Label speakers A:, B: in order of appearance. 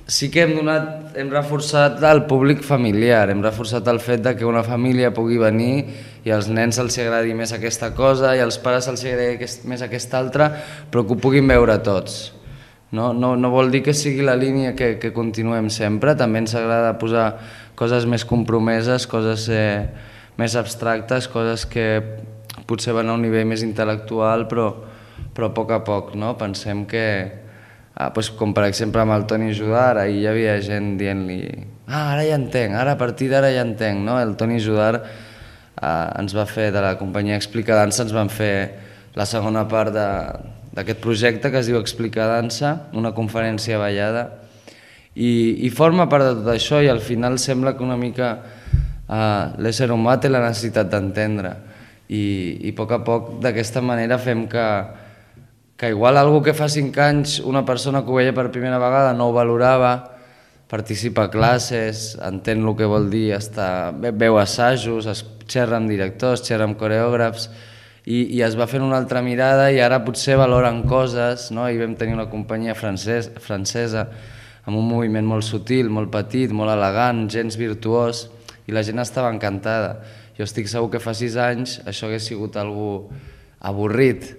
A: sí que hem reforçat el públic familiar, hem reforçat el fet que una família pugui venir i als nens els agradi més aquesta cosa i als pares els agradi més aquesta altra, però que ho puguin veure tots. No vol dir que sigui la línia que continuem sempre, també ens agrada posar coses més compromeses, coses més abstractes, coses que potser van a un nivell més intel·lectual, però a poc, no? Pensem que, com per exemple amb el Toni Judar, ahir hi havia gent dient-li ara ja entenc, ara a partir d'ara ja entenc, no? El Toni Judar ens va fer, de la companyia Explica Dansa, ens van fer la segona part d'aquest projecte que es diu Explica Dansa, una conferència ballada, i forma part de tot això i al final sembla que una mica l'ésser humà té la necessitat d'entendre i a poc d'aquesta manera fem que igual algú que fa 5 anys una persona que ho veia per primera vegada no ho valorava, participa a classes, entén el que vol dir, veu assajos, es xerra amb directors, xerra amb coreògrafs i es va fent una altra mirada i ara potser valoren coses, no? I vam tenir una companyia francesa amb un moviment molt sutil, molt petit, molt elegant, gens virtuós, i la gent estava encantada. Jo estic segur que fa 6 anys això hagués sigut algú avorrit,